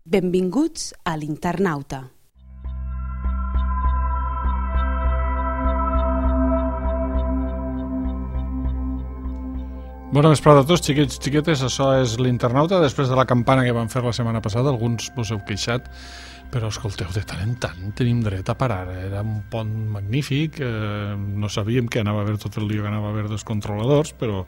Benvinguts a l'Internauta. Bona vesprada a tots, xiquets, xiquetes. Això és l'Internauta. Després de la campana que vam fer la setmana passada, alguns vos heu queixat, però escolteu, de tant en tant tenim dret a parar. Era un pont magnífic, no sabíem que anava a haver tot el dia, que anava a haver dos controladors, però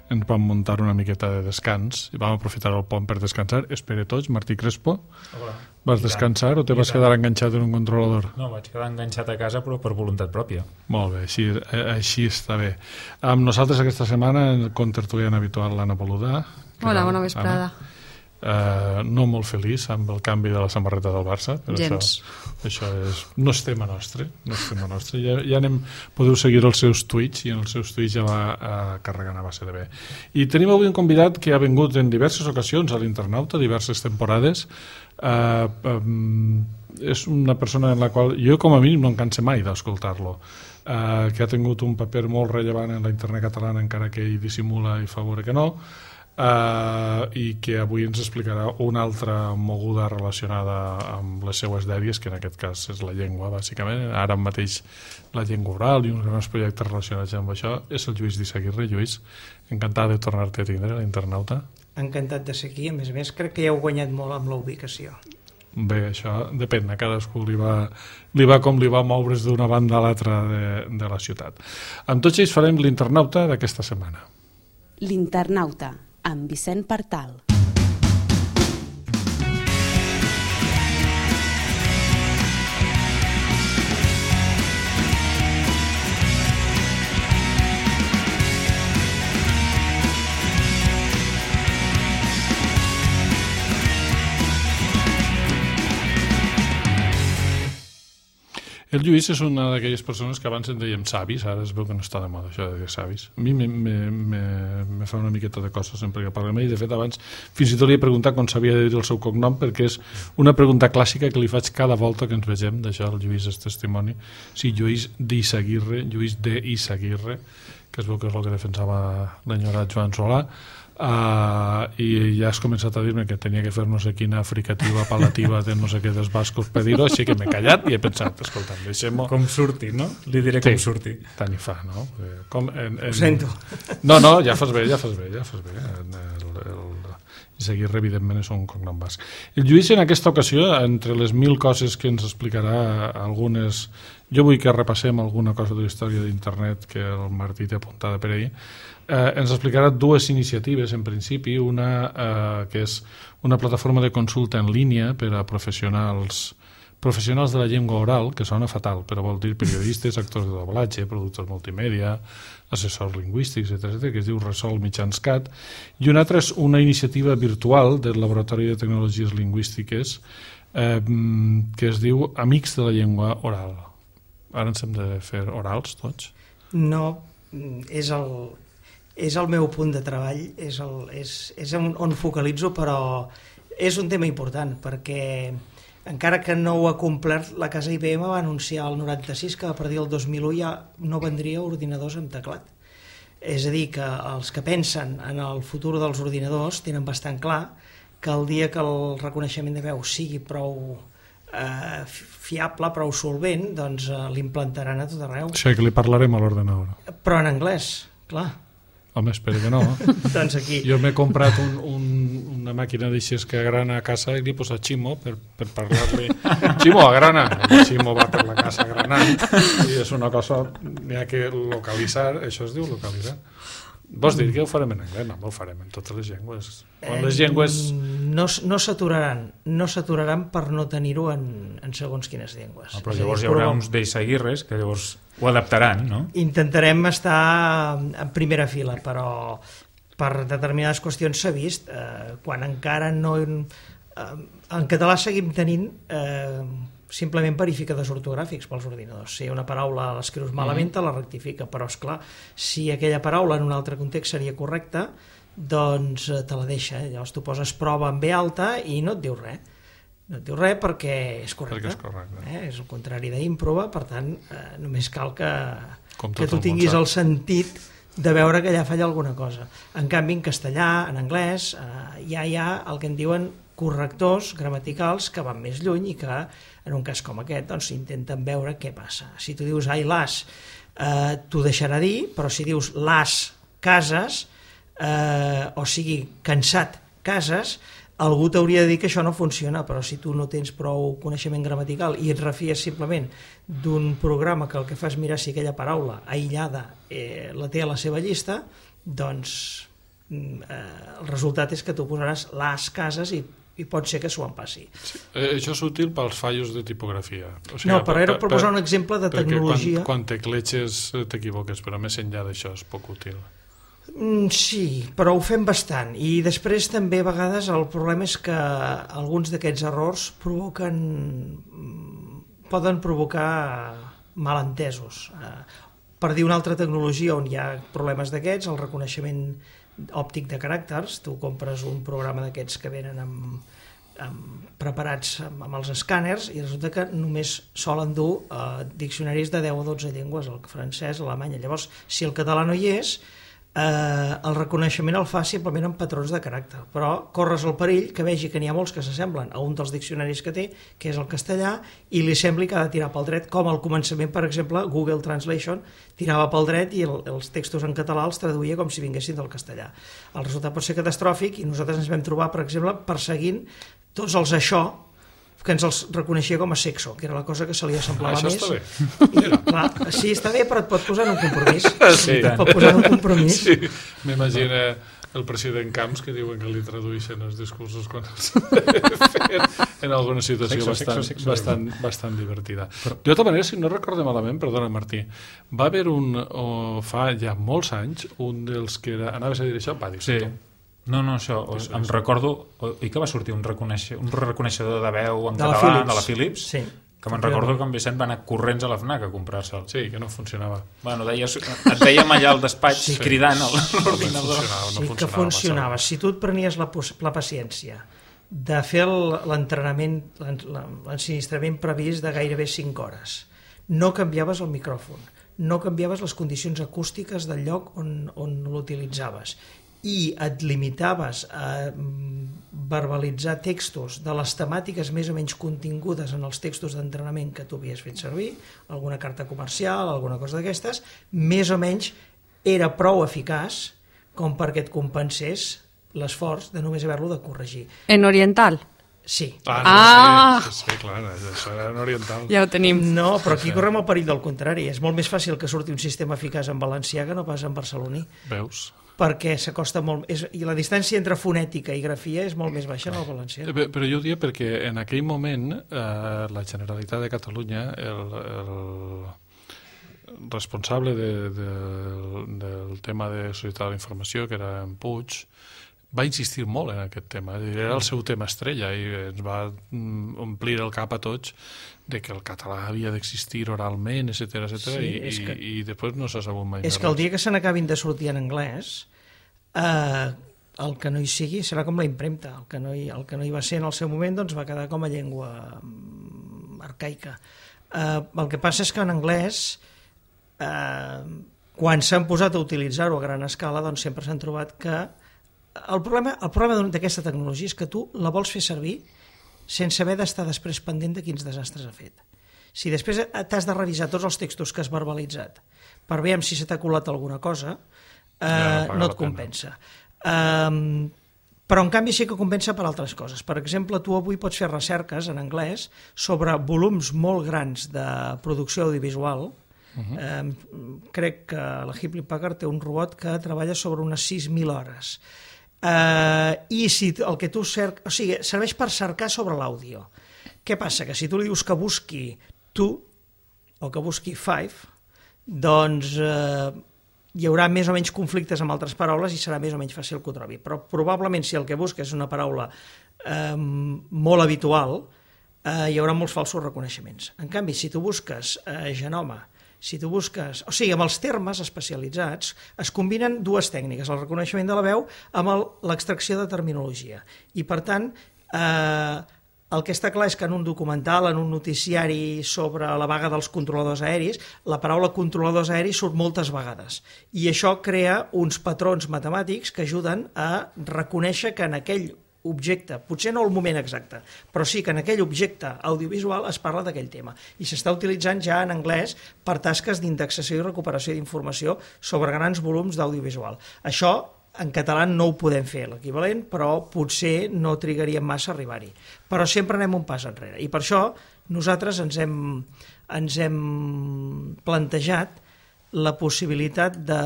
ens vam muntar una miqueta de descans i vam aprofitar el pont per descansar. Espere tots, Martí Crespo. Hola. Vas descansar o te vas quedar enganxat en un controlador? No, vaig quedar enganxat a casa, però per voluntat pròpia. Molt bé, així està bé. Amb nosaltres aquesta setmana el contertulian habitual, l'Anna Boludà. Hola, bona vesprada. No molt feliç amb el canvi de la samarreta del Barça, però això és, no és tema nostre, ja podeu seguir els seus tuits, i en els seus tuits ja va carregant a base de bé. I tenim avui un convidat que ha vingut en diverses ocasions a l'Internauta, diverses temporades. És una persona en la qual jo com a mínim no em canse mai d'escoltar-lo, que ha tingut un paper molt rellevant en la internet catalana, encara que ell dissimula i fa veure que no, i que avui ens explicarà una altra moguda relacionada amb les seues dèries, que en aquest cas és la llengua, bàsicament. Ara mateix la llengua oral i uns grans projectes relacionats amb això. És el Lluís d'Isaguirre. Lluís, encantat de tornar-te a tindre a l'Internauta. Encantat de ser aquí. A més, crec que ja heu guanyat molt amb la ubicació. Bé, això depèn, a cadascú li va com li va moure's d'una banda a l'altra de la ciutat. Amb tots ells farem l'Internauta d'aquesta setmana. L'Internauta, amb Vicent Partal. El Lluís és una d'aquelles persones que abans en dèiem savis, ara es veu que no està de moda això de dir savis. A mi me fa una miqueta de cosa sempre que parla amb ell. De fet, abans fins i tot li he preguntat com s'havia de dir el seu cognom, perquè és una pregunta clàssica que li faig cada volta que ens vegem. D'això el Lluís és testimoni. Sí, Lluís d'Isaguirre, Lluís d'Isaguirre, que es veu que és el que defensava l'enyorat Joan Solà. I ja has començat a dir-me que tenia que fer no sé quina fricativa apel·lativa de no sé què dels bascos per dir-ho, així que m'he callat i he pensat, escolta, deixem-ho... Com surti, no? Li diré com surti. Tant hi fa, no? Ho sento. No, ja fas bé. Isaguirre, evidentment, és un cognom basc. El Lluís, en aquesta ocasió, entre les 1000 coses que ens explicarà, algunes... Jo vull que repassem alguna cosa de la història d'internet que el Martí té apuntada per ahir. Ens explicarà dues iniciatives, en principi, una que és una plataforma de consulta en línia per a professionals de la llengua oral, que sona fatal, però vol dir periodistes, actors de doblatge, productors multimèdia, assessors lingüístics, etc., que es diu Resol Mitjans Cat, i una altra és una iniciativa virtual del Laboratori de Tecnologies Lingüístiques que es diu Amics de la Llengua Oral. Ara ens hem de fer orals, tots? No, és el meu punt de treball, és on focalitzo, però és un tema important, perquè encara que no ho ha complert, la casa IBM va anunciar el 96 que a partir del 2001 ja no vendria ordinadors amb teclat. És a dir, que els que pensen en el futur dels ordinadors tenen bastant clar que el dia que el reconeixement de veu sigui prou fiable, prou solvent, doncs l'implantaran a tot arreu. Sí, que li parlarem a l'ordenador. Però en anglès, clar. Home, espero que no. Doncs aquí. Jo m'he comprat una màquina d'aixes que agrana a casa i li he posat Ximo per parlar-li. Ximo, agrana! El Ximo va per la casa agranant i és una cosa, n'hi ha que localitzar, això es diu localitzar. Vols dir que ho farem en anglès? No, ho farem en totes les llengües. Les llengües... No s'aturaran per no tenir-ho en segons quines llengües. Però llavors hi haurà uns d'Isaguirres que llavors ho adaptaran, no? Intentarem estar en primera fila, però per determinades qüestions s'ha vist. Quan encara no... En català seguim tenint simplement verificadors ortogràfics pels ordinadors. Si una paraula l'escrius malament, te la rectifica, però esclar, si aquella paraula en un altre context seria correcta, doncs te la deixa. Llavors tu poses prova en B alta i no et diu res. No et diu res perquè és correcte. Perquè és correcte. És el contrari d'improva, per tant, només cal que tu el tinguis el sentit de veure que allà falla alguna cosa. En canvi, en castellà, en anglès, ja hi ha el que en diuen correctors gramaticals que van més lluny i que, en un cas com aquest, doncs intenten veure què passa. Si tu dius ai las, t'ho deixarà dir, però si dius las cases, o sigui, cansat cases, algú t'hauria de dir que això no funciona, però si tu no tens prou coneixement gramatical i et refies simplement d'un programa que el que fa és mirar si aquella paraula aïllada la té a la seva llista, doncs el resultat és que tu posaràs les cases i pot ser que s'ho en passi. Sí. Això és útil pels fallos de tipografia. O sigui, no, però era per posar un exemple de tecnologia. Quan tecleches t'equivoques, però més enllà d'això és poc útil. Sí, però ho fem bastant i després també a vegades el problema és que alguns d'aquests errors poden provocar malentesos. Per dir una altra tecnologia on hi ha problemes d'aquests, el reconeixement òptic de caràcters, tu compres un programa d'aquests que venen preparats amb els escàners i resulta que només solen dur diccionaris de 10 o 12 llengües, el francès, l'alemany. Llavors, si el català no hi és, el reconeixement el fa simplement amb patrons de caràcter, però corres el perill que vegi que n'hi ha molts que s'assemblen a un dels diccionaris que té, que és el castellà, i li sembli que ha de tirar pel dret, com al començament, per exemple, Google Translation tirava pel dret i els textos en català els traduïa com si vinguessin del castellà. El resultat pot ser catastròfic i nosaltres ens vam trobar, per exemple, perseguint tots els això que ens els reconeixia com a sexo, que era la cosa que se li assemblava més. Això està bé. I, clar, sí, està bé, però et pot posar en un compromís. Sí. Et pot posar en un compromís. Sí. M'imagina el president Camps que diuen que li tradueixen els discursos quan els fet en alguna situació bastant divertida. De tota manera, si no recordo malament, perdona Martí, va haver fa ja molts anys, un dels que anaves a dir això, va dir sí. No, això, em recordo, i que va sortir un reconeixedor de veu en català de la Philips, sí, que me'n recordo que en Vicent va anar corrents a la FNAC a comprar-se'l. Sí, que no funcionava. Bueno, et dèiem allà al despatx cridant a l'ordinador. Sí, que funcionava. Si tu et prenies la paciència de fer l'entrenament, l'ensinistrament previst de gairebé 5 hores, no canviaves el micròfon, no canviaves les condicions acústiques del lloc on l'utilitzaves, i et limitaves a verbalitzar textos de les temàtiques més o menys contingudes en els textos d'entrenament que tu havies fet servir, alguna carta comercial, alguna cosa d'aquestes, més o menys era prou eficaç com perquè et compensés l'esforç de només haver-lo de corregir. En oriental? Sí. Sí, clar, això era en oriental. Ja ho tenim. No, però aquí correm el perill del contrari. És molt més fàcil que surti un sistema eficaç en valencià que no pas en barceloní. Veus? Perquè s'acosta molt... I la distància entre fonètica i grafia és molt més baixa en el valencià. Però jo ho dia perquè en aquell moment la Generalitat de Catalunya, el responsable del tema de societat de la informació, que era en Puig, va insistir molt en aquest tema. Era el seu tema estrella i ens va omplir el cap a tots de que el català havia d'existir oralment, etc. I després no s'ha sabut mai. És que el dia que se n'acabin de sortir en anglès, el que no hi sigui serà com la impremta. El que no hi va ser en el seu moment doncs va quedar com a llengua arcaica. El que passa és que en anglès, quan s'han posat a utilitzar-ho a gran escala, doncs sempre s'han trobat que el problema d'aquesta tecnologia és que tu la vols fer servir sense haver d'estar després pendent de quins desastres ha fet. Si després t'has de revisar tots els textos que has verbalitzat per veure si se t'ha colat alguna cosa, no et compensa. Però en canvi sí que compensa per altres coses. Per exemple, tu avui pots fer recerques en anglès sobre volums molt grans de producció audiovisual. Crec que la Hewlett Packard té un robot que treballa sobre unes 6.000 hores. I si el que tu cerques, o sigui, serveix per cercar sobre l'àudio. Què passa? Que si tu li dius que busqui tu o que busqui five, doncs hi haurà més o menys conflictes amb altres paraules i serà més o menys fàcil que ho trobi. Però probablement si el que busca és una paraula molt habitual, hi haurà molts falsos reconeixements. En canvi, si tu busques genoma, si tu busques... O sigui, amb els termes especialitzats es combinen dues tècniques, el reconeixement de la veu amb l'extracció de terminologia. I, per tant, el que està clar és que en un documental, en un noticiari sobre la vaga dels controladors aeris, la paraula controladors aeris surt moltes vegades. I això crea uns patrons matemàtics que ajuden a reconèixer que en aquell objecte, potser no el moment exacte, però sí que en aquell objecte audiovisual es parla d'aquell tema i s'està utilitzant ja en anglès per tasques d'indexació i recuperació d'informació sobre grans volums d'audiovisual. Això en català no ho podem fer l'equivalent, però potser no trigaríem massa a arribar-hi. Però sempre anem un pas enrere i per això nosaltres ens hem plantejat la possibilitat de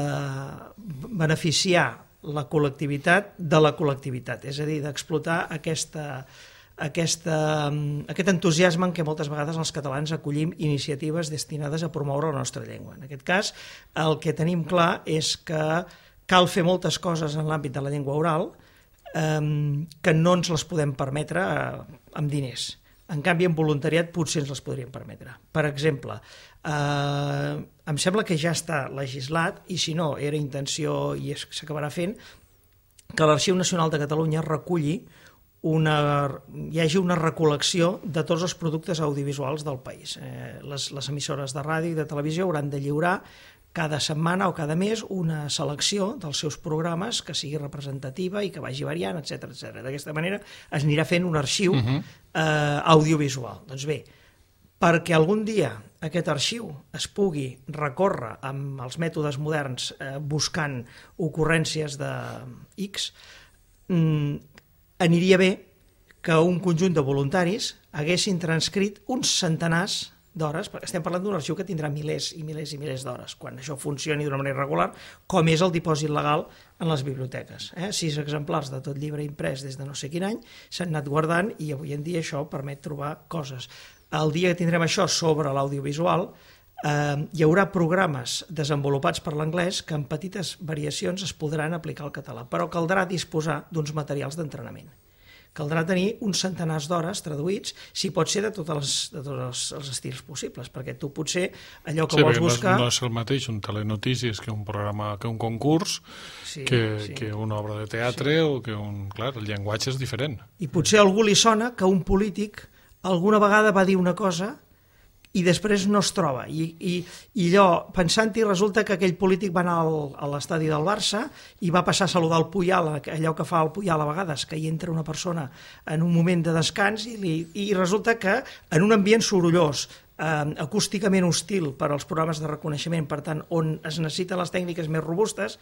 beneficiar la col·lectivitat de la col·lectivitat, és a dir, d'explotar aquest entusiasme en què moltes vegades els catalans acollim iniciatives destinades a promoure la nostra llengua. En aquest cas, el que tenim clar és que cal fer moltes coses en l'àmbit de la llengua oral que no ens les podem permetre amb diners. En canvi, en voluntariat potser ens les podríem permetre. Per exemple, em sembla que ja està legislat, i si no, era intenció i s'acabarà fent, que l'Arxiu Nacional de Catalunya hi hagi una recol·lecció de tots els productes audiovisuals del país. Les emissores de ràdio i de televisió hauran de lliurar cada setmana o cada mes una selecció dels seus programes que sigui representativa i que vagi variant, etc. D'aquesta manera es anirà fent un arxiu audiovisual. Doncs bé, perquè algun dia aquest arxiu es pugui recórrer amb els mètodes moderns buscant ocurrències de X, aniria bé que un conjunt de voluntaris haguessin transcrit uns centenars d'hores, perquè estem parlant d'un arxiu que tindrà milers i milers i milers d'hores, quan això funcioni d'una manera regular, com és el dipòsit legal en les biblioteques. 6 exemplars de tot llibre imprès des de no sé quin any s'han anat guardant i avui en dia això permet trobar coses. El dia que tindrem això sobre l'audiovisual, hi haurà programes desenvolupats per l'anglès que amb petites variacions es podran aplicar al català, però caldrà disposar d'uns materials d'entrenament. Caldrà tenir uns centenars d'hores traduïts, si pot ser de tots els estils possibles, perquè tu potser allò que vols buscar... No és el mateix un telenotícies que un programa, que un concurs, que una obra de teatre o que un... Clar, el llenguatge és diferent. I potser a algú li sona que un polític alguna vegada va dir una cosa i després no es troba. I allò, pensant-hi, resulta que aquell polític va anar a l'estadi del Barça i va passar a saludar el Puyal, allò que fa el Puyal a vegades, que hi entra una persona en un moment de descans i resulta que en un ambient sorollós, acústicament hostil per als programes de reconeixement, per tant, on es necessiten les tècniques més robustes,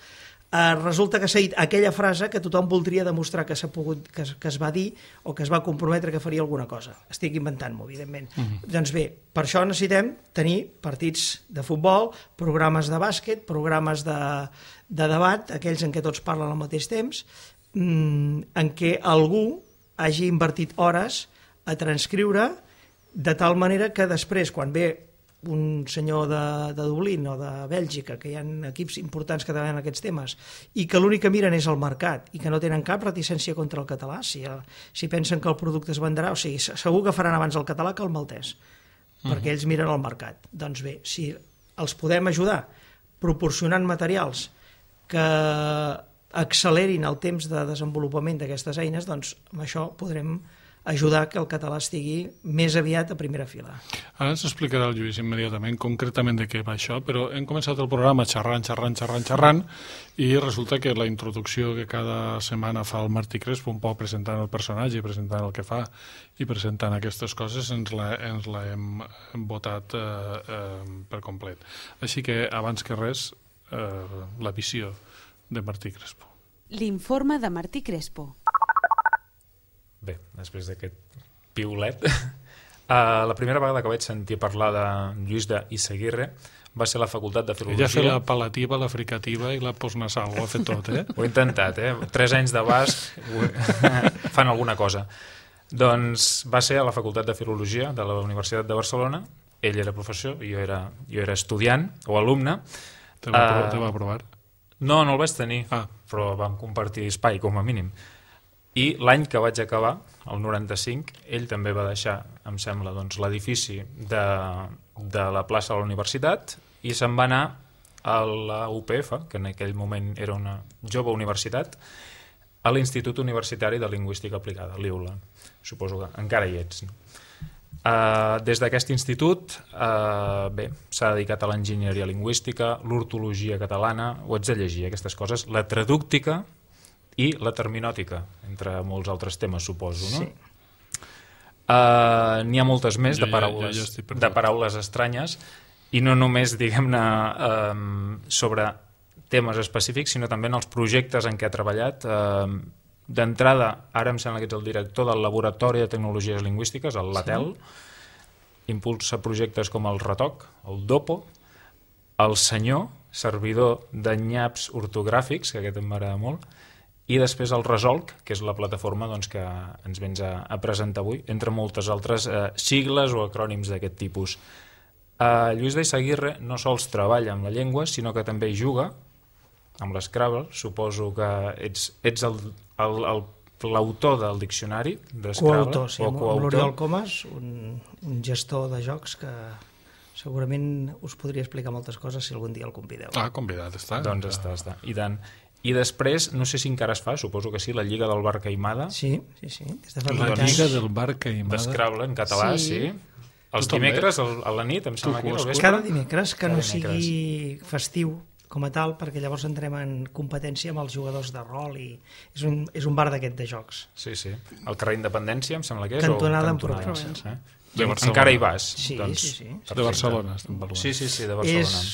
resulta que s'ha dit aquella frase que tothom voldria demostrar que es va dir o que es va comprometre que faria alguna cosa. Estic inventant-m'ho, evidentment. Doncs bé, per això necessitem tenir partits de futbol, programes de bàsquet, programes de debat, aquells en què tots parlen al mateix temps, en què algú hagi invertit hores a transcriure de tal manera que després, quan ve un senyor de Dublín o de Bèlgica, que hi ha equips importants que treballen aquests temes, i que l'únic que miren és el mercat i que no tenen cap reticència contra el català, si pensen que el producte es vendrà, o sigui, segur que faran abans el català que el maltès, perquè ells miren el mercat. Doncs bé, si els podem ajudar proporcionant materials que accelerin el temps de desenvolupament d'aquestes eines, doncs amb això podrem ajudar que el català estigui més aviat a primera fila. Ara ens explicarà el Lluís immediatament concretament de què va això, però hem començat el programa xerrant i resulta que la introducció que cada setmana fa el Martí Crespo, un poc presentant el personatge, presentant el que fa i presentant aquestes coses, ens l'hem votat per complet. Així que, abans que res, la visió de Martí Crespo. L'informe de Martí Crespo. Bé, després d'aquest piulet, la primera vegada que vaig sentir parlar de Lluís d'Issaguirre va ser a la Facultat de Filologia. Ella ha fet l'apel·lativa, la fricativa i la postnasal, ho ha fet tot, eh? Ho he intentat, 3 anys de basc fan alguna cosa. Doncs va ser a la Facultat de Filologia de la Universitat de Barcelona, ell era professor, jo era estudiant o alumne. Te va provar? No el vaig tenir, però vam compartir espai com a mínim. I l'any que vaig acabar, el 95, ell també va deixar, em sembla, doncs, l'edifici de la plaça de la universitat i se'n va anar a la UPF, que en aquell moment era una jove universitat, a l'Institut Universitari de Lingüística Aplicada, l'IULA. Suposo que encara hi ets. Des d'aquest institut s'ha dedicat a l'enginyeria lingüística, l'ortologia catalana, ho ets de llegir, aquestes coses, la tradúctica i la terminòtica, entre molts altres temes, suposo, no? Sí. N'hi ha moltes més de jo paraules estranyes, i no només, diguem-ne, sobre temes específics, sinó també en els projectes en què ha treballat. D'entrada, ara em sembla que ets el director del Laboratori de Tecnologies Lingüístiques, el LATEL, impulsa projectes com el RETOC, el DOPO, el Senyor, servidor de nyaps ortogràfics, que aquest em m'agrada molt, i després el Resolc, que és la plataforma que ens vens a presentar avui, entre moltes altres sigles o acrònims d'aquest tipus. Lluís d'Eizaguirre no sols treballa amb la llengua, sinó que també hi juga amb l'Scrabble. Suposo que ets l'autor del diccionari d'Scrabble. Coautor, sí, amb l'Oriol Comas, un gestor de jocs que segurament us podria explicar moltes coses si algun dia el convideu. Convidat està. Doncs està. I tant. I després, no sé si encara es fa, suposo que sí, la Lliga del Bar Caimada. Sí. La Lliga del Bar Caimada. D'Scrabble, en català, sí. Els dimecres, a la nit, em sembla que era el vespre. Cada dimecres, que no sigui festiu com a tal, perquè llavors entrem en competència amb els jugadors de rol i és un bar d'aquest de jocs. Sí. El carrer Independència, em sembla que és. Cantonada en Provença. Encara hi vas. Sí. De Barcelona, estem parlant. Sí, de Barcelona.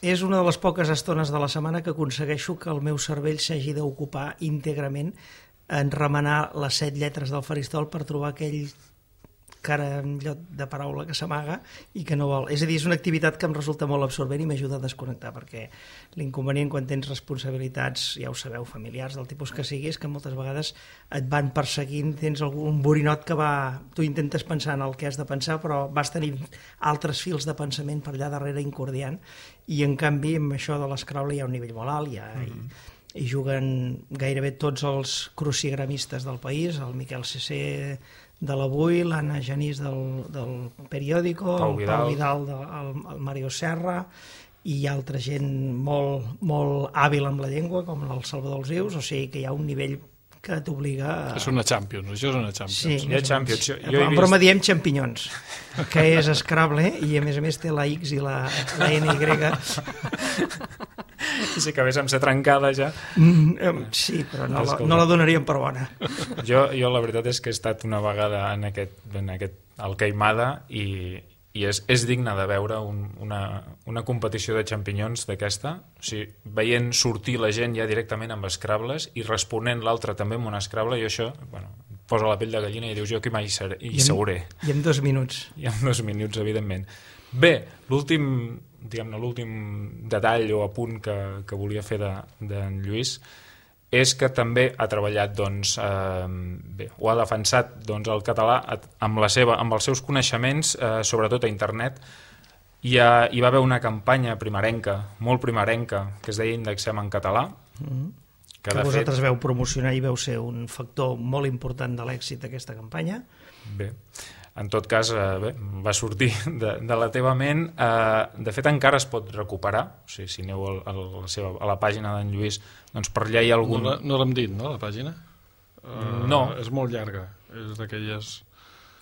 És una de les poques estones de la setmana que aconsegueixo que el meu cervell s'hagi d'ocupar íntegrament en remenar les 7 lletres del faristol per trobar aquell carallot de paraula que s'amaga i que no vol. És a dir, és una activitat que em resulta molt absorbent i m'ajuda a desconnectar, perquè l'inconvenient quan tens responsabilitats, ja ho sabeu, familiars, del tipus que sigui, és que moltes vegades et van perseguint, tens algun borinot que tu intentes pensar en el que has de pensar, però vas tenir altres fils de pensament per allà darrere incordiant, i en canvi amb això de l'Scrabble hi ha un nivell molt alt, hi juguen gairebé tots els crucigramistes del país, el Miquel Cessé de l'Avui, l'Anna Genís del Periódico, Pau Vidal, el Mario Serra, i altra gent molt, molt hàbil amb la llengua, com el Salvador Alzius, o sigui que hi ha un nivell que t'obliga a... És una Champions, això és una Champions. Sí, hi ha Champions. En broma diem xampinyons, que és Scrabble, i a més té la X i la NY. Si acabés amb ser trencada ja. Sí, però no la donaríem per bona. Jo la veritat és que he estat una vegada en aquest al Caimada i és digne de veure una competició de xampinyons d'aquesta, o sigui, veient sortir la gent ja directament amb Scrabbles i responent l'altre també amb un Scrabble, i això posa la pell de gallina i dius jo que mai hi seuré. I en 2 minuts. I en 2 minuts, evidentment. Bé, l'últim detall o apunt que volia fer d'en Lluís és que també ha treballat, ho ha defensat el català amb els seus coneixements, sobretot a internet. Hi va haver una campanya primerenca, molt primerenca, que es deia Indexem en català, que vosaltres veu promocionar i veu ser un factor molt important de l'èxit d'aquesta campanya. Bé, en tot cas, va sortir de la teva ment. De fet, encara es pot recuperar. O sigui, si aneu a la pàgina d'en Lluís, doncs per allà hi ha algun... No l'hem dit, no, la pàgina? No. És molt llarga, és d'aquelles...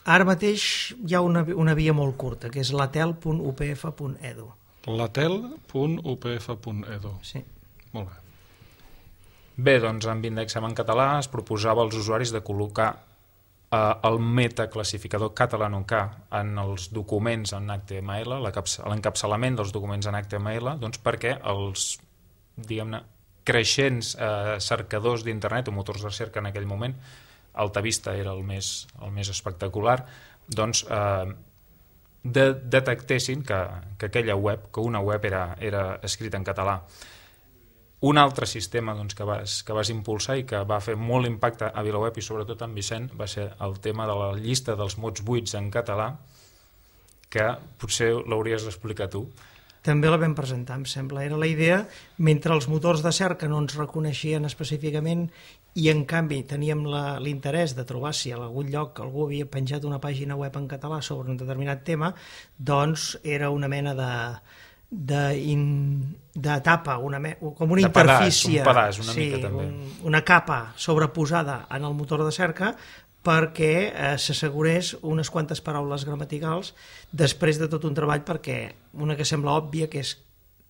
Ara mateix hi ha una via molt curta, que és latel.upf.edu. latel.upf.edu. Sí. Molt bé. Bé, doncs amb Indexem en català es proposava als usuaris de col·locar el metaclassificador catalanoK en els documents en HTML, l'encapçalament dels documents en HTML, doncs perquè els, diguem-ne, creixents cercadors d'internet o motors de cerca en aquell moment, Altavista era el més espectacular, doncs detectessin que aquella web, que una web era escrita en català. Un altre sistema que vas impulsar i que va fer molt impacte a VilaWeb i sobretot en Vicent va ser el tema de la llista dels mots buits en català, que potser l'hauries d'explicar tu. També la vam presentar, em sembla. Era la idea, mentre els motors de cerca no ens reconeixien específicament i en canvi teníem l'interès de trobar si a algun lloc algú havia penjat una pàgina web en català sobre un determinat tema, doncs era una mena d'etapa, com una interfície, un pedaç, una mica també. Una capa sobreposada en el motor de cerca perquè s'assegurés unes quantes paraules gramaticals després de tot un treball, perquè una que sembla òbvia, que és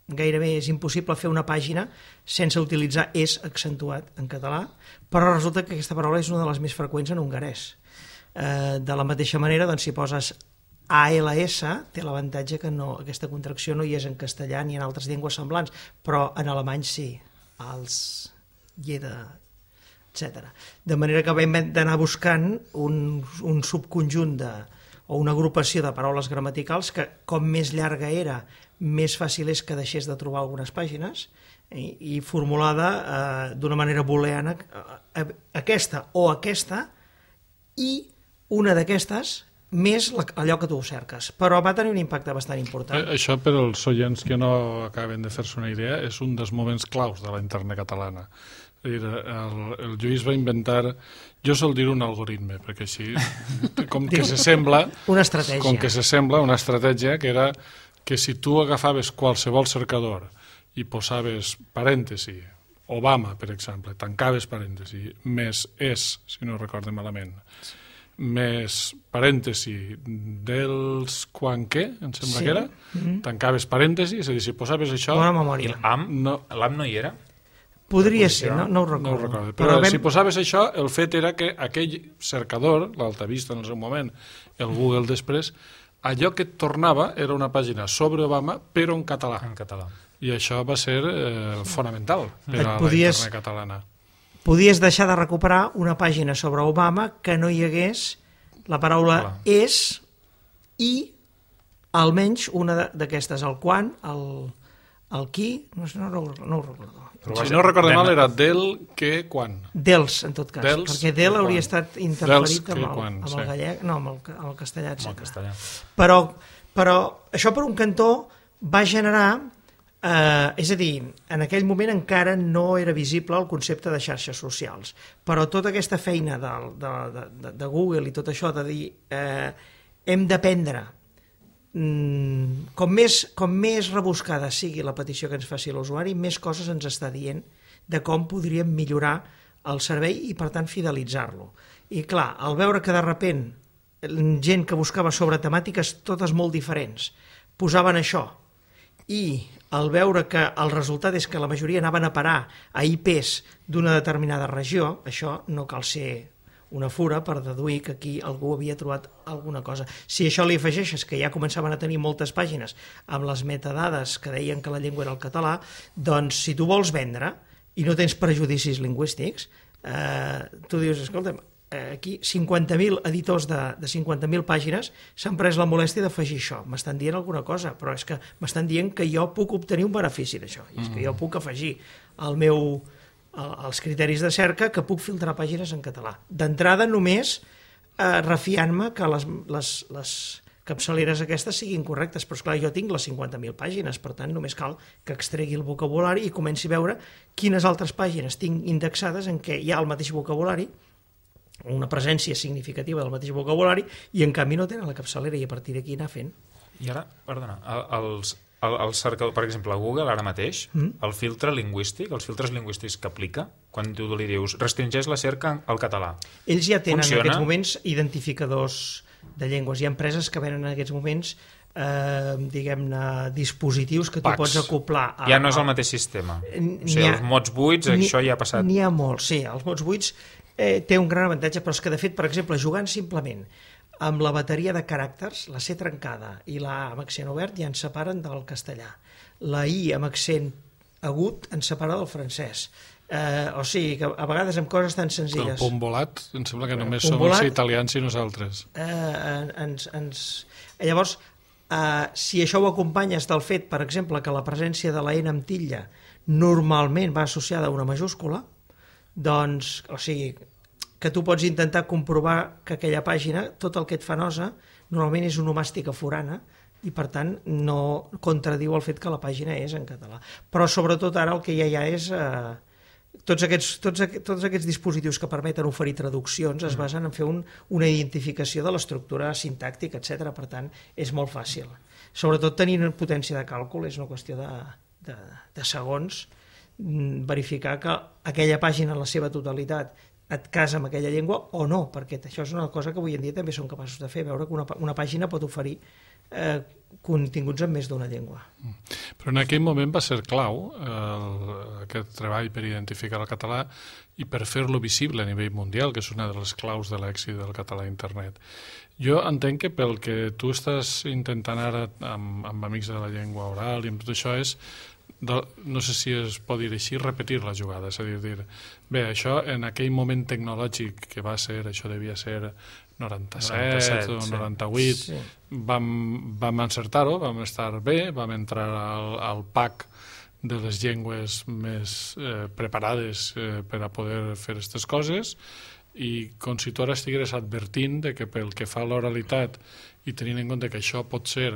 gairebé és impossible fer una pàgina sense utilitzar és accentuat en català, però resulta que aquesta paraula és una de les més freqüents en hongarès. De la mateixa manera, doncs, si poses ALS, té l'avantatge que aquesta contracció no hi és en castellà ni en altres llengües semblants, però en alemany sí, als, jeder, etc. De manera que vam d'anar buscant un subconjunt o una agrupació de paraules gramaticals que, com més llarga era, més fàcil és que deixés de trobar algunes pàgines, i formulada d'una manera booleana, aquesta o aquesta, i una d'aquestes més allò que tu cerques. Però va tenir un impacte bastant important. Això, per als oients que no acaben de fer-se una idea, és un dels moments claus de la internet catalana. El Lluís va inventar, jo sol dir un algoritme, perquè així, com que s'assembla... Una estratègia. Com que s'assembla una estratègia que era que si tu agafaves qualsevol cercador i posaves parèntesi, Obama, per exemple, tancaves parèntesi, més és, si no recordo malament, més parèntesi dels quan què, em sembla que era, tancaves parèntesi, és a dir, si posaves això... Bona memòria. L'AM no hi era? Podria ser, no ho recordo. No ho recordo, però si posaves això, el fet era que aquell cercador, l'Altavista en el seu moment, el Google després, allò que et tornava era una pàgina sobre Obama, però en català. En català. I això va ser fonamental per a la internet catalana. Podies deixar de recuperar una pàgina sobre Obama que no hi hagués la paraula és i almenys una d'aquestes, el quan, el qui, no ho recordo. Si no recordo mal era del, que, quan. Dels, en tot cas, perquè del hauria estat interferit amb el gallec, no, amb el castellà, etc. Però això per un cantó va generar... és a dir, en aquell moment encara no era visible el concepte de xarxes socials, però tota aquesta feina de Google i tot això de dir hem d'aprendre, com més rebuscada sigui la petició que ens faci l'usuari, més coses ens està dient de com podríem millorar el servei i per tant fidelitzar-lo. I clar, al veure que de repent gent que buscava sobre temàtiques totes molt diferents posaven això, i al veure que el resultat és que la majoria anaven a parar a IPs d'una determinada regió, això no cal ser una fura per deduir que aquí algú havia trobat alguna cosa. Si això li afegeixes que ja començaven a tenir moltes pàgines amb les metadades que deien que la llengua era el català, doncs si tu vols vendre i no tens prejudicis lingüístics, tu dius, escolta'm, aquí 50.000 editors de 50.000 pàgines s'han pres la molèstia d'afegir això. M'estan dient alguna cosa, però és que m'estan dient que jo puc obtenir un benefici d'això. I és que jo puc afegir els criteris de cerca que puc filtrar pàgines en català. D'entrada només refiant-me que les capçaleres aquestes siguin correctes, però esclar, jo tinc les 50.000 pàgines, per tant només cal que extregui el vocabulari i comenci a veure quines altres pàgines tinc indexades en què hi ha el mateix vocabulari, una presència significativa del mateix vocabulari, i en canvi no tenen la capçalera, i a partir d'aquí anar fent. I ara, perdona, el cercador, per exemple, Google ara mateix, el filtre lingüístic, els filtres lingüístics que aplica, quan tu li dius restringeix la cerca al català. Ells ja tenen en aquests moments identificadors de llengües. Hi ha empreses que venen en aquests moments diguem-ne, dispositius que tu pots acoplar. Ja no és el mateix sistema. O sigui, els mots buits, això ja ha passat. N'hi ha molts, sí. Els mots buits té un gran avantatge, però és que, de fet, per exemple, jugant simplement amb la bateria de caràcters, la C trencada i la A amb accent obert ja ens separen del castellà. La I amb accent agut ens separa del francès. O sigui, que a vegades amb coses tan senzilles... El punt volat, em sembla que només som els italians i nosaltres. Llavors, si això ho acompanyes del fet, per exemple, que la presència de la N amb titlla normalment va associada a una majúscula, doncs, o sigui, que tu pots intentar comprovar que aquella pàgina, tot el que et fa nosa, normalment és onomàstica forana, i per tant no contradiu el fet que la pàgina és en català. Però sobretot ara el que ja hi ha és... Tots aquests dispositius que permeten oferir traduccions es basen en fer una identificació de l'estructura sintàctica, etc. Per tant, és molt fàcil. Sobretot tenint potència de càlcul, és una qüestió de segons, verificar que aquella pàgina en la seva totalitat et casa amb aquella llengua o no, perquè això és una cosa que avui en dia també som capaços de fer, veure que una pàgina pot oferir continguts en més d'una llengua. Però en aquell moment va ser clau aquest treball per identificar el català i per fer-lo visible a nivell mundial, que és una de les claus de l'èxit del català a internet. Jo entenc que pel que tu estàs intentant ara amb Amics de la Llengua Oral i amb tot això és, no sé si es pot dir així, repetir la jugada, és a dir, bé, això en aquell moment tecnològic que va ser, això devia ser 97 o 98, sí. Vam encertar-ho, vam estar bé, vam entrar al PAC de les llengües més preparades per a poder fer aquestes coses, i com si tu ara estigueres advertint de que pel que fa a l'oralitat i tenint en compte que això pot ser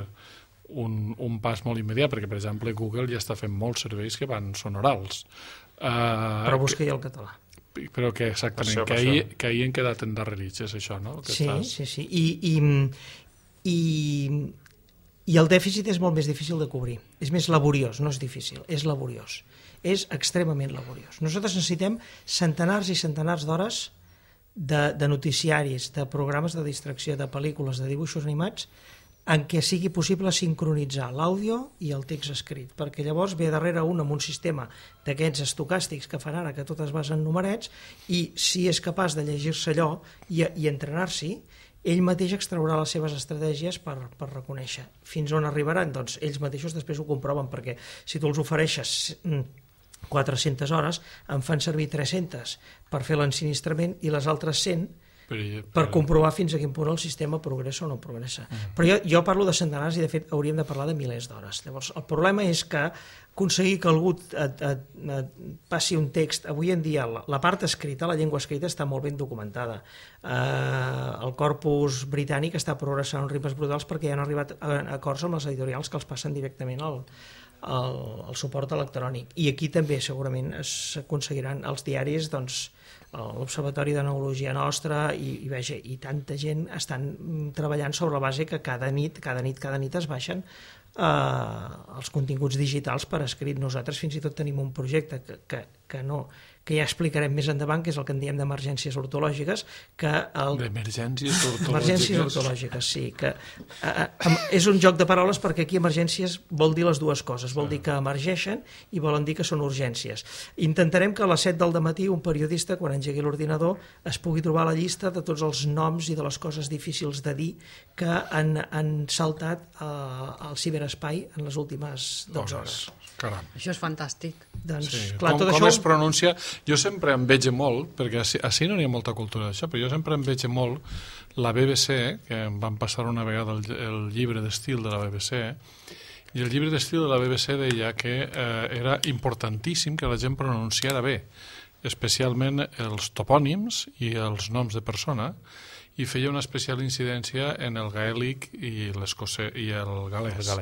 un pas molt immediat, perquè per exemple Google ja està fent molts serveis que són orals. Però busca ja el català. Però que exactament, que ahir han quedat endarrerits, és això, no? Sí. I el dèficit és molt més difícil de cobrir. És més laboriós, no és difícil, és laboriós. És extremament laboriós. Nosaltres necessitem centenars i centenars d'hores de noticiaris, de programes de distracció, de pel·lícules, de dibuixos animats, en què sigui possible sincronitzar l'àudio i el text escrit, perquè llavors ve darrere un amb un sistema d'aquests estocàstics que fan ara, que tot es basa en numerets, i si és capaç de llegir-se allò i entrenar-s'hi, ell mateix extraurà les seves estratègies per reconèixer. Fins on arribaran? Doncs ells mateixos després ho comproven, perquè si tu els ofereixes 400 hores, en fan servir 300 per fer l'ensinistrament i les altres 100 per comprovar fins a quin punt el sistema progressa o no progressa. Però jo parlo de centenars i de fet hauríem de parlar de milers d'hores. Llavors el problema és que aconseguir que algú et passi un text, avui en dia la part escrita, la llengua escrita està molt ben documentada. El corpus britànic està progressant en ritmes brutals perquè ja han arribat a acords amb les editorials que els passen directament al suport electrònic, i aquí també segurament s'aconseguiran els diaris, doncs l'Observatori de Neurologia Nostra i tanta gent estan treballant sobre la base que cada nit es baixen els continguts digitals per escrit. Nosaltres fins i tot tenim un projecte que ja explicarem més endavant, que és el que en diem d'emergències ortològiques. D'emergències ortològiques? Emergències ortològiques, sí. És un joc de paraules perquè aquí emergències vol dir les dues coses. Vol dir que emergeixen i volen dir que són urgències. Intentarem que a les 7 del matí un periodista, quan engegui l'ordinador, es pugui trobar la llista de tots els noms i de les coses difícils de dir que han saltat al ciberespai en les últimes 12 hores. Caram. Això és fantàstic. Doncs, sí. clar, com es pronuncia? Jo sempre em veig molt, perquè així no hi ha molta cultura d'això, però jo sempre em veig molt la BBC, que em van passar una vegada el llibre d'estil de la BBC, i el llibre d'estil de la BBC deia que era importantíssim que la gent pronunciara bé, especialment els topònims i els noms de persona, i feia una especial incidència en el gaèlic i el galès.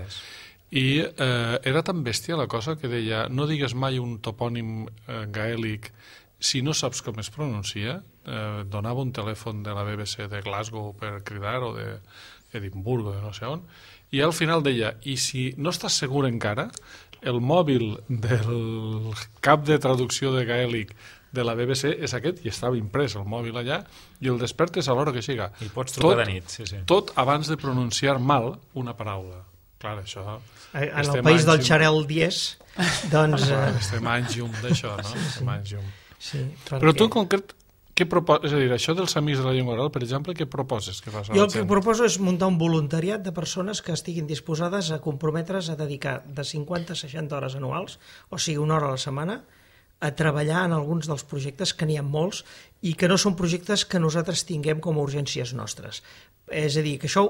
I era tan bèstia la cosa que deia no digues mai un topònim gaèlic si no saps com es pronuncia. Donava un telèfon de la BBC de Glasgow per cridar, o d'Edimburgo, de no sé on, i al final deia, i si no estàs segur encara, el mòbil del cap de traducció de gaèlic de la BBC és aquest, i estava imprès el mòbil allà, i el despertes a l'hora que siga. I pots trucar de nit, sí. Tot abans de pronunciar mal una paraula. Clar, això... En el país del xarel dies, doncs... Estem anys llum d'això, no? Estem anys llum. Sí, però tu en concret, què proposes? És a dir, això dels Amics de la Llengua Oral, per exemple, què proposes que fas a la gent? Jo el que proposo és muntar un voluntariat de persones que estiguin disposades a comprometre's a dedicar de 50 a 60 hores anuals, o sigui, una hora a la setmana, a treballar en alguns dels projectes, que n'hi ha molts, i que no són projectes que nosaltres tinguem com a urgències nostres. És a dir, que això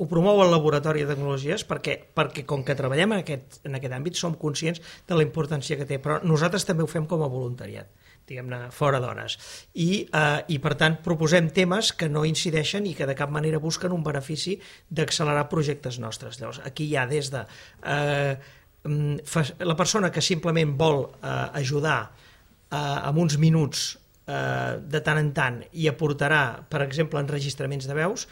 ho promou el Laboratori de Tecnologies perquè com que treballem en aquest àmbit som conscients de la importància que té, però nosaltres també ho fem com a voluntariat, diguem-ne, fora d'hores. I per tant proposem temes que no incideixen i que de cap manera busquen un benefici d'accelerar projectes nostres. Llavors, aquí hi ha des de la persona que simplement vol ajudar amb uns minuts de tant en tant i aportarà, per exemple, enregistraments de veus,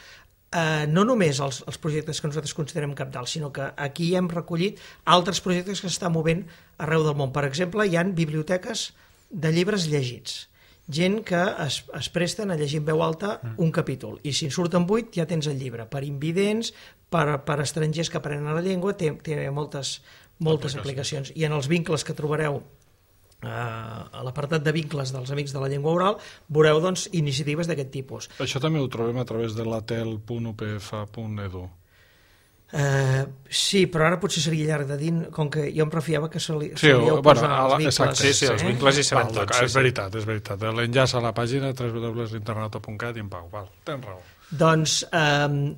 no només els projectes que nosaltres considerem cabdals, sinó que aquí hem recollit altres projectes que s'estan movent arreu del món. Per exemple, hi ha biblioteques de llibres llegits. gent que es presten a llegir en veu alta un capítol, i si en surten 8 ja tens el llibre, per invidents, per estrangers que aprenen la llengua, té moltes aplicacions. I en els vincles que trobareu a l'apartat de vincles dels Amics de la Llengua Oral veureu doncs iniciatives d'aquest tipus. Això també ho trobem a través de latel.upfa.edu. Sí, però ara potser seria llarg de dir, com que jo em refiava que solíeu posar els vincles. Sí, els vincles hi seran tots. És veritat. L'enllaç a la pàgina www.internauta.cat i en pau. Tens raó. Doncs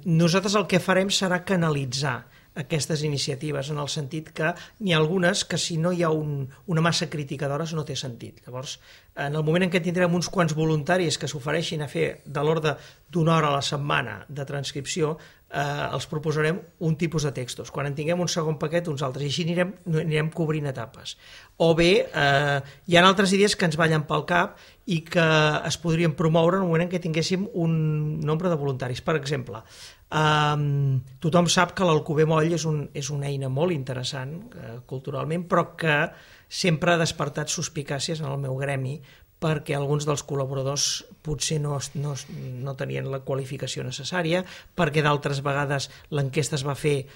nosaltres el que farem serà canalitzar aquestes iniciatives, en el sentit que n'hi ha algunes que si no hi ha una massa crítica d'hores no té sentit. Llavors, en el moment en què tindrem uns quants voluntaris que s'ofereixin a fer de l'ordre d'una hora a la setmana de transcripció, els proposarem un tipus de textos. Quan en tinguem un segon paquet, uns altres, i així anirem cobrint etapes. O bé, hi ha altres idees que ens ballen pel cap i que es podrien promoure en el moment en què tinguéssim un nombre de voluntaris. Per exemple, tothom sap que l'Alcover Moll és una eina molt interessant culturalment, però que sempre ha despertat suspicàcies en el meu gremi, perquè alguns dels col·laboradors potser no tenien la qualificació necessària, perquè d'altres vegades l'enquesta es va fer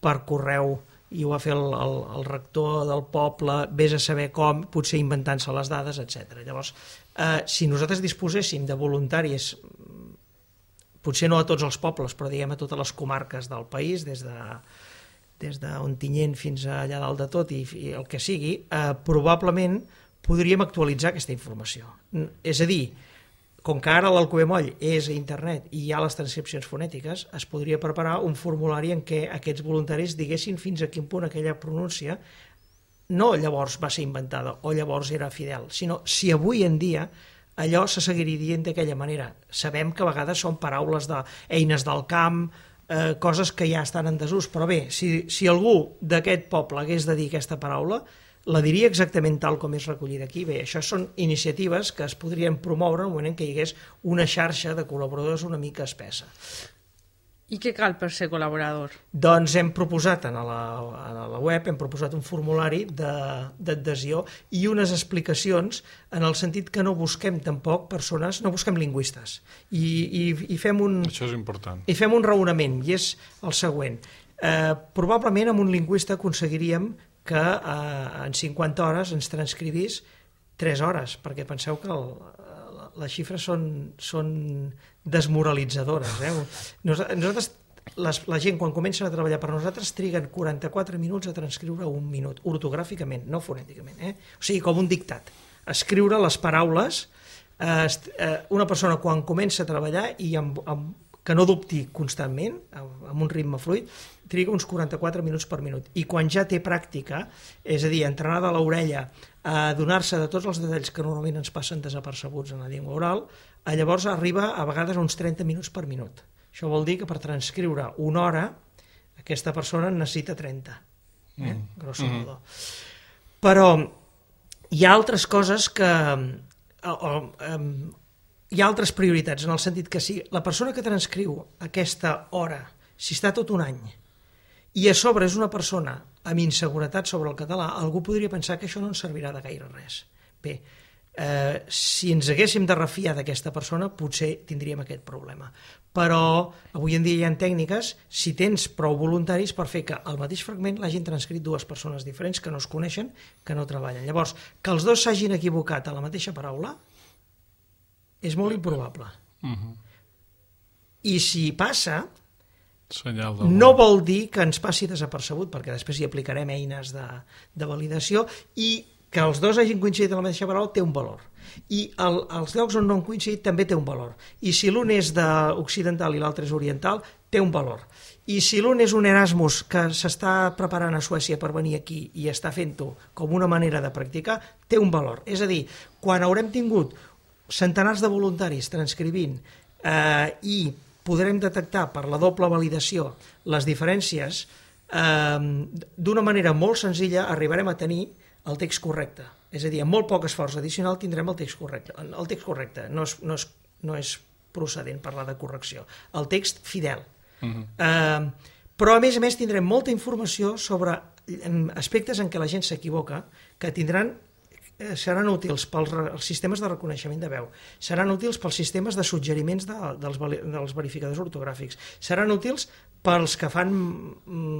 per correu i ho va fer el rector del poble, vés a saber com, potser inventant-se les dades, etc. Llavors, si nosaltres disposéssim de voluntaris, potser no a tots els pobles, però diguem a totes les comarques del país, des d'Ontinyent fins allà dalt de tot i el que sigui, probablement podríem actualitzar aquesta informació. És a dir, com que ara l'Alcover Moll és a internet i hi ha les transcripcions fonètiques, es podria preparar un formulari en què aquests voluntaris diguessin fins a quin punt aquella pronúncia no llavors va ser inventada o llavors era fidel, sinó si avui en dia allò se seguiria dient d'aquella manera. Sabem que a vegades són paraules d'eines del camp, coses que ja estan en desús, però bé, si algú d'aquest poble hagués de dir aquesta paraula, la diria exactament tal com és recollida aquí. Bé, això són iniciatives que es podrien promoure en el moment en què hi hagués una xarxa de col·laboradors una mica espessa. I què cal per ser col·laborador? Doncs hem proposat a la web un formulari d'adhesió i unes explicacions en el sentit que no busquem tampoc persones, no busquem lingüistes. I fem això és important. I fem un raonament, i és el següent. Probablement amb un lingüista aconseguiríem que en 50 hores ens transcrivís 3 hores, perquè penseu que les xifres són desmoralitzadores. Nosaltres, la gent quan comencen a treballar per nosaltres triguen 44 minuts a transcriure un minut, ortogràficament, no fonèticament. O sigui, com un dictat. Escriure les paraules, una persona quan comença a treballar i que no dubti constantment, amb un ritme fluid, triga uns 44 minuts per minut. I quan ja té pràctica, és a dir, entrenada a l'orella, a donar-se de tots els detalls que normalment ens passen desapercebuts en la llengua oral, llavors arriba a vegades a uns 30 minuts per minut. Això vol dir que per transcriure una hora, aquesta persona en necessita 30, grosso modo. Però hi ha altres coses que... hi ha altres prioritats, en el sentit que si la persona que transcriu aquesta hora, si està tot un any, i a sobre és una persona amb inseguretat sobre el català, algú podria pensar que això no ens servirà de gaire res. Bé, si ens haguéssim de refiar d'aquesta persona, potser tindríem aquest problema. Però avui en dia hi ha tècniques, si tens prou voluntaris per fer que el mateix fragment l'hagin transcrit dues persones diferents que no es coneixen, que no treballen. Llavors, que els dos s'hagin equivocat a la mateixa paraula és molt improbable. I si passa, no vol dir que ens passi desapercebut, perquè després hi aplicarem eines de validació, i que els dos hagin coincidit en la mateixa paraula té un valor. I els llocs on no han coincidit també té un valor. I si l'un és occidental i l'altre és oriental, té un valor. I si l'un és un Erasmus que s'està preparant a Suècia per venir aquí i està fent-ho com una manera de practicar, té un valor. És a dir, quan haurem tingut centenars de voluntaris transcrivint i podrem detectar per la doble validació les diferències, d'una manera molt senzilla arribarem a tenir el text correcte. És a dir, amb molt poc esforç addicional tindrem el text correcte. El text correcte no és procedent parlar de correcció. El text fidel. Però a més tindrem molta informació sobre aspectes en què la gent s'equivoca, que tindran seran útils pels sistemes de reconeixement de veu, seran útils pels sistemes de suggeriments dels verificadors ortogràfics, seran útils pels que fan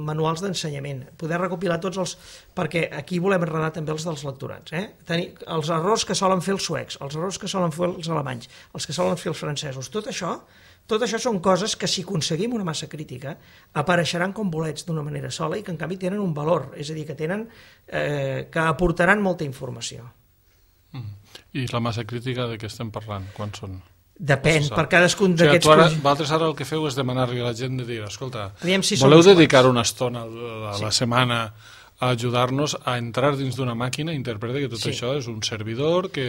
manuals d'ensenyament, poder recopilar tots els... perquè aquí volem enredar també els dels lectorats, tenir els errors que solen fer els suecs, els errors que solen fer els alemanys, els que solen fer els francesos, tot això són coses que si aconseguim una massa crítica apareixeran com bolets d'una manera sola i que en canvi tenen un valor, és a dir, que aportaran molta informació. I la massa crítica de què estem parlant? Quan són? Depèn, per cadascun d'aquests... Vosaltres ara el que feu és demanar-li a la gent de dir, escolta, si voleu dedicar una estona a la setmana a ajudar-nos a entrar dins d'una màquina i interpreta que tot això és un servidor que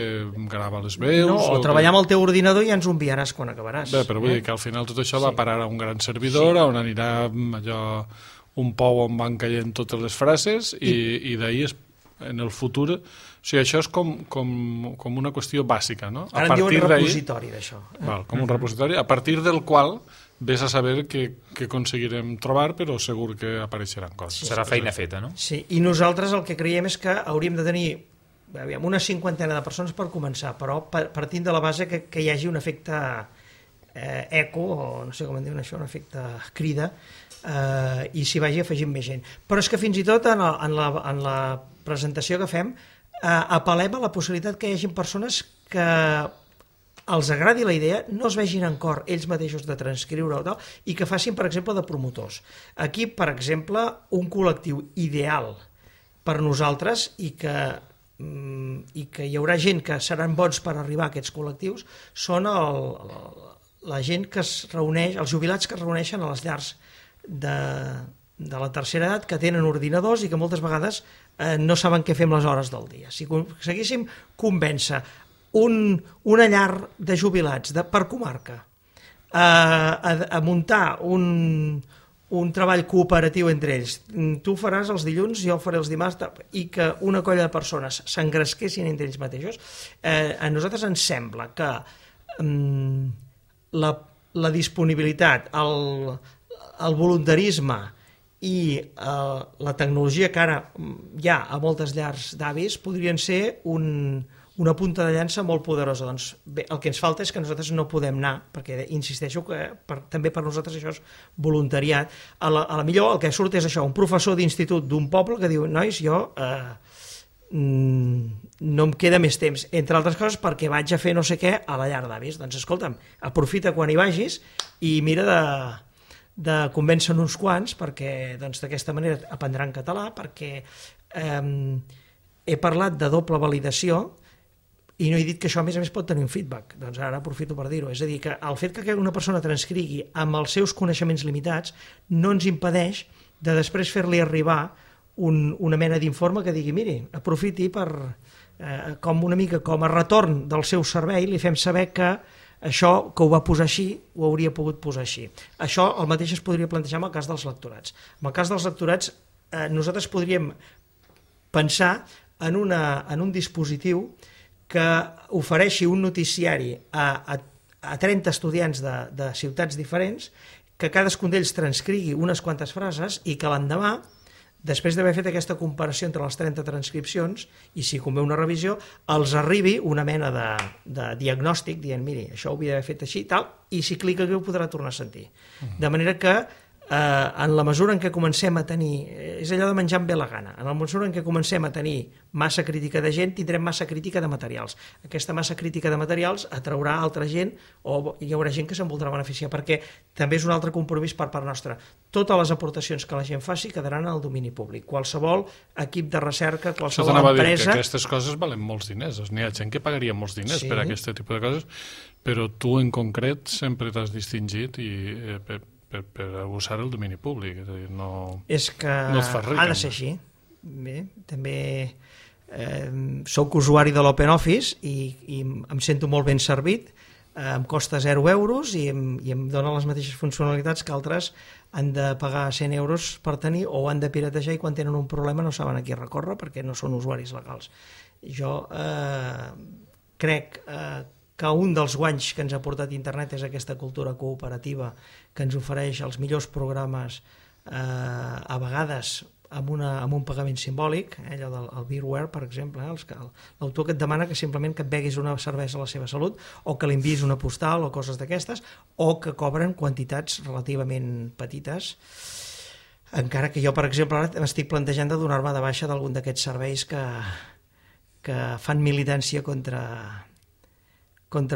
grava les veus... No, o treballar amb el teu ordinador i ja ens ho enviaràs quan acabaràs. Bé, però vull dir que al final tot això va parar a un gran servidor on anirà allò un pou on van caient totes les frases i d'ahir en el futur... O sigui, això és com una qüestió bàsica, no? Ara en diuen repositori d'això. Com un repositori, a partir del qual vés a saber què aconseguirem trobar, però segur que apareixeran coses. Serà feina feta, no? Sí, i nosaltres el que creiem és que hauríem de tenir una 50 de persones per començar, però partint de la base que hi hagi un efecte eco, o no sé com en diuen això, un efecte crida, i s'hi vagi afegint més gent. Però és que fins i tot en la presentació que fem apel·lem a la possibilitat que hi hagi persones que els agradi la idea, no es vegin en cor ells mateixos de transcriure o tal, i que facin, per exemple, de promotors. Aquí, per exemple, un col·lectiu ideal per nosaltres i que hi haurà gent que seran bons per arribar a aquests col·lectius són la gent que es reuneix, els jubilats que es reuneixen a les llars de la tercera edat, que tenen ordinadors i que moltes vegades no saben què fer amb les hores del dia. Si aconseguíssim convèncer una llar de jubilats per comarca a muntar un treball cooperatiu entre ells, tu faràs els dilluns, jo faré els dimarts, i que una colla de persones s'engresquessin entre ells mateixos, a nosaltres ens sembla que la disponibilitat, el voluntarisme i la tecnologia que ara hi ha a moltes llars d'avis podrien ser una punta de llança molt poderosa. Doncs bé, el que ens falta és que nosaltres no podem anar, perquè insisteixo que també per nosaltres això és voluntariat. A la millor el que surt és això, un professor d'institut d'un poble que diu, nois, jo no em queda més temps, entre altres coses perquè vaig a fer no sé què a la llar d'avis. Doncs escolta'm, aprofita quan hi vagis i mira de convèncer uns quants perquè d'aquesta manera aprendran català, perquè he parlat de doble validació i no he dit que això a més pot tenir un feedback, doncs ara aprofito per dir-ho, és a dir, que el fet que una persona transcrigui amb els seus coneixements limitats no ens impedeix de després fer-li arribar una mena d'informe que digui, miri, aprofiti per, com una mica com a retorn del seu servei, li fem saber que això que ho va posar així, ho hauria pogut posar així. Això el mateix es podria plantejar en el cas dels lectorats. En el cas dels lectorats, nosaltres podríem pensar en un dispositiu que ofereixi un noticiari a 30 estudiants de ciutats diferents, que cadascun d'ells transcrigui unes quantes frases i que l'endemà, després d'haver fet aquesta comparació entre les 30 transcripcions, i si convé una revisió, els arribi una mena de diagnòstic dient, miri, això ho havia d'haver fet així, tal, i si clica aquí ho podrà tornar a sentir. De manera que en la mesura en què comencem a tenir, és allò de menjar amb bé la gana, en la mesura en què comencem a tenir massa crítica de gent, tindrem massa crítica de materials. Aquesta massa crítica de materials atraurà altra gent o hi haurà gent que se'n voldrà beneficiar, perquè també és un altre compromís per part nostra. Totes les aportacions que la gent faci quedaran al domini públic. Qualsevol equip de recerca, qualsevol empresa... Que aquestes coses valen molts diners. N'hi ha gent que pagaria molts diners per aquest tipus de coses, però tu en concret sempre t'has distingit i per usar el domini públic, és a dir, no et fas ric. Ha de ser així. Bé, també soc usuari de l'OpenOffice i em sento molt ben servit, em costa 0 euros i em dona les mateixes funcionalitats que altres han de pagar 100 euros per tenir o han de piratejar i quan tenen un problema no saben a qui recórrer perquè no són usuaris legals. Jo crec que un dels guanys que ens ha portat internet és aquesta cultura cooperativa que ens ofereix els millors programes a vegades amb un pagament simbòlic, allò del beerware, per exemple, l'autor que et demana que simplement que et beguis una cervesa a la seva salut, o que li enviïs una postal o coses d'aquestes, o que cobren quantitats relativament petites, encara que jo, per exemple, ara m'estic plantejant de donar-me de baixa d'algun d'aquests serveis que fan militància contra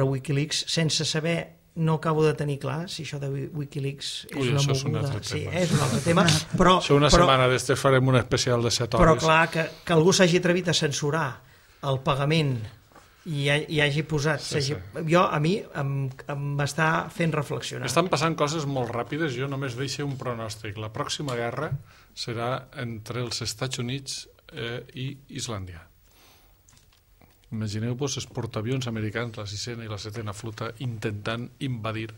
Wikileaks sense saber. No acabo de tenir clar si això de Wikileaks és una moguda. Sí, és un altre tema. Però, això una setmana d'este farem un especial de 7 hores. Però clar, que algú s'hagi atrevit a censurar el pagament i hagi posat... A mi m'està fent reflexionar. Estan passant coses molt ràpides. Jo només deixo un pronòstic. La pròxima guerra serà entre els Estats Units i Islàndia. Imagineu-vos els portaavions americans, la 6a i la 7a flota, intentant invadir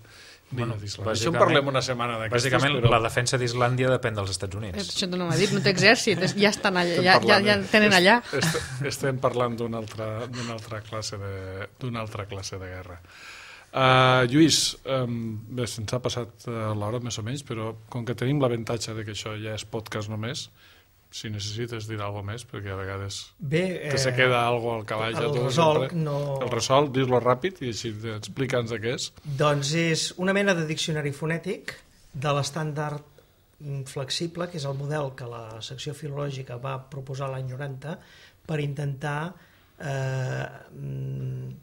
l'illa d'Islàndia. Això en parlem una setmana d'aquestes. Bàsicament, la defensa d'Islàndia depèn dels Estats Units. Això no m'ha dit, no té exèrcit, ja estan allà, ja tenen allà. Estem parlant d'una altra classe de guerra. Lluís, bé, se'ns ha passat l'hora més o menys, però com que tenim l'avantatge de que això ja és podcast només, si necessites dir alguna més, perquè a vegades se queda alguna al calaix. El Resolc, dis-lo ràpid i així explica'ns de què és. Doncs és una mena de diccionari fonètic de l'estàndard flexible, que és el model que la secció filològica va proposar l'any 90 per intentar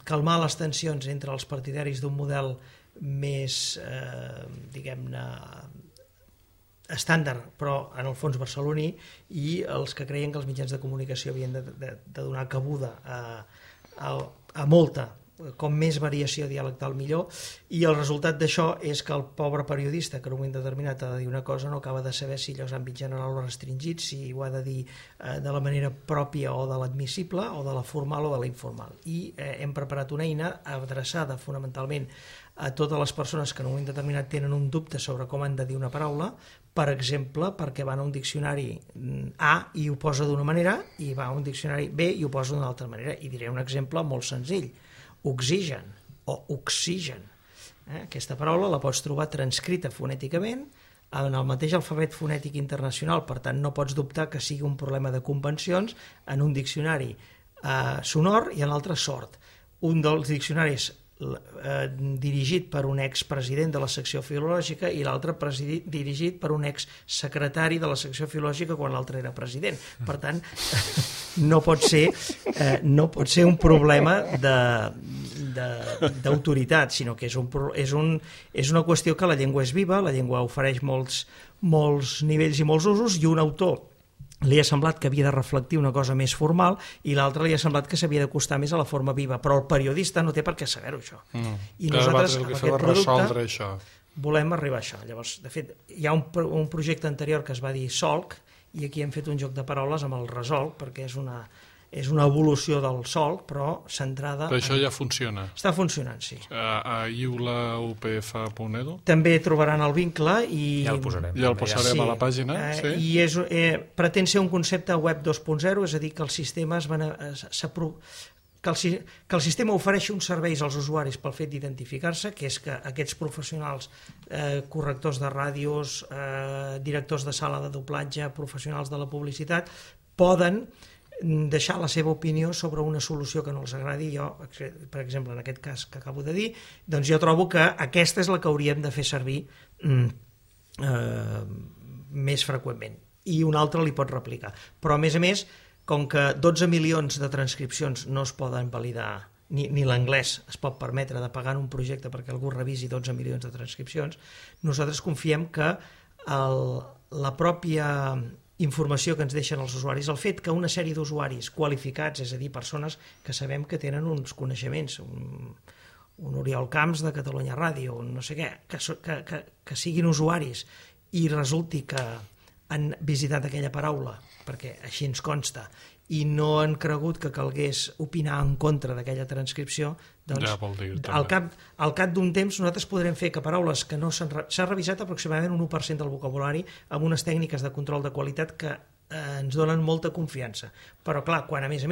calmar les tensions entre els partidaris d'un model més, diguem-ne, estàndard, però en el fons barceloní, i els que creien que els mitjans de comunicació havien de donar cabuda a molta, com més variació dialectal millor, i el resultat d'això és que el pobre periodista que en un moment determinat ha de dir una cosa no acaba de saber si allò és àmbit general o restringit, si ho ha de dir de la manera pròpia o de l'admissible, o de la formal o de la informal. I hem preparat una eina adreçada fonamentalment a totes les persones que en un moment determinat tenen un dubte sobre com han de dir una paraula, per exemple, perquè van a un diccionari A i ho posa d'una manera, i va a un diccionari B i ho posa d'una altra manera. I diré un exemple molt senzill: oxigen o oxigen. Aquesta paraula la pots trobar transcrita fonèticament en el mateix alfabet fonètic internacional, per tant no pots dubtar que sigui un problema de convencions en un diccionari sonor i en l'altre sord. Un dels diccionaris dirigit per un expresident de la secció filològica i l'altre dirigit per un exsecretari de la secció filològica quan l'altre era president. Per tant, no pot ser un problema d'autoritat, sinó que és una qüestió que la llengua és viva, la llengua ofereix molts nivells i molts usos, i un autor li ha semblat que havia de reflectir una cosa més formal i l'altre li ha semblat que s'havia d'acostar més a la forma viva, però el periodista no té per què saber-ho, això. I nosaltres, amb aquest producte, volem arribar a això. Llavors, de fet, hi ha un projecte anterior que es va dir Solc, i aquí hem fet un joc de paraules amb el Resolc, perquè és una evolució del Solc, però centrada... Però això ja funciona? Està funcionant, sí. A iulaupf.edu? També trobaran el vincle i... Ja el posarem. Ja el posarem a la pàgina, sí. I pretén ser un concepte web 2.0, és a dir, que el sistema que el sistema ofereixi uns serveis als usuaris pel fet d'identificar-se, que és que aquests professionals, correctors de ràdios, directors de sala de doblatge, professionals de la publicitat, poden deixar la seva opinió sobre una solució que no els agradi. Jo, per exemple, en aquest cas que acabo de dir, doncs jo trobo que aquesta és la que hauríem de fer servir més freqüentment, i un altre li pot replicar. Però, a més, com que 12 milions de transcripcions no es poden validar, ni l'anglès es pot permetre de pagar en un projecte perquè algú revisi 12 milions de transcripcions, nosaltres confiem que la pròpia informació que ens deixen els usuaris, el fet que una sèrie d'usuaris qualificats, és a dir, persones que sabem que tenen uns coneixements, un Oriol Camps de Catalunya Ràdio, no sé què, que siguin usuaris i resulti que han visitat aquella paraula, perquè així ens consta, i no han cregut que calgués opinar en contra d'aquella transcripció, doncs al cap d'un temps nosaltres podrem fer que paraules que no s'ha revisat aproximadament un 1% del vocabulari amb unes tècniques de control de qualitat que ens donen molta confiança. Però clar, quan a més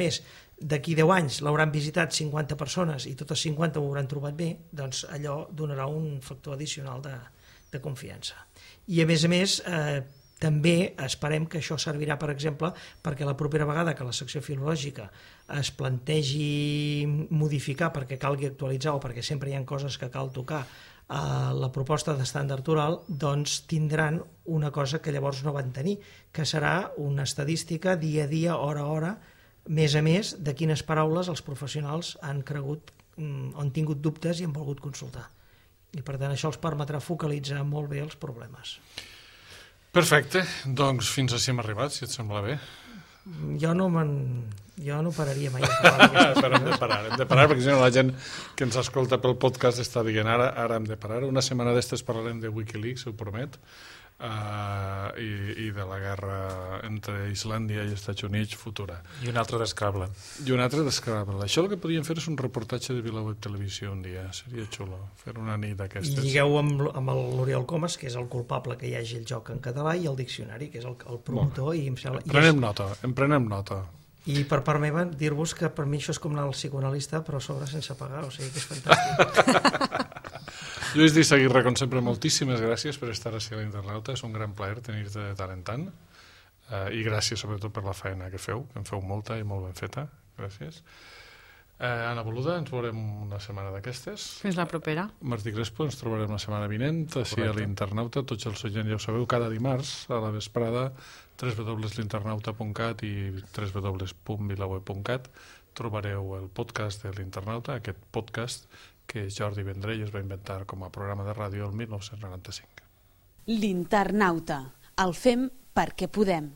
d'aquí 10 anys l'hauran visitat 50 persones i totes 50 ho hauran trobat bé, doncs allò donarà un factor addicional de confiança. I a més També esperem que això servirà, per exemple, perquè la propera vegada que la secció filològica es plantegi modificar perquè calgui actualitzar o perquè sempre hi ha coses que cal tocar a la proposta d'estàndard oral, doncs tindran una cosa que llavors no van tenir, que serà una estadística dia a dia, hora a hora, més a més de quines paraules els professionals han cregut, han tingut dubtes i han volgut consultar. I per tant això els permetrà focalitzar molt bé els problemes. Perfecte, doncs fins així hem arribat, si et sembla bé. Jo no pararia mai de parlar d'aquestes Però hem de parar, perquè si no la gent que ens escolta pel podcast està dient ara hem de parar. Una setmana d'estes parlarem de Wikileaks, ho promet, i de la guerra entre Islàndia i Estats Units futura. I un altre d'Scrabble. Això el que podríem fer és un reportatge de VilaWeb Televisió un dia, seria xulo, fer una nit d'aquestes. I lligueu amb l'Oriol Comas, que és el culpable que hi hagi el joc en català, i el diccionari, que és el promotor. I em sembla, en prenem nota. I per part meva, dir-vos que per mi això és com anar al psicoanalista, però a sobre sense pagar, o sigui que és fantàstic. Lluís D'Isaguirre, com sempre, moltíssimes gràcies per estar així a l'Internauta. És un gran plaer tenir-te de tant en tant. I gràcies sobretot per la feina que feu, que en feu molta i molt ben feta. Gràcies. Anna Boluda, ens veurem una setmana d'aquestes. Fins la propera. Martí Crespo, ens trobarem la setmana vinent, així a l'Internauta. Tots els oients ja ho sabeu, cada dimarts a la vesprada, www.l'internauta.cat i www.vilaweb.cat trobareu el podcast de l'Internauta, aquest podcast que Jordi Vendrell es va inventar com a programa de ràdio el 1995. L'Internauta. El fem perquè podem.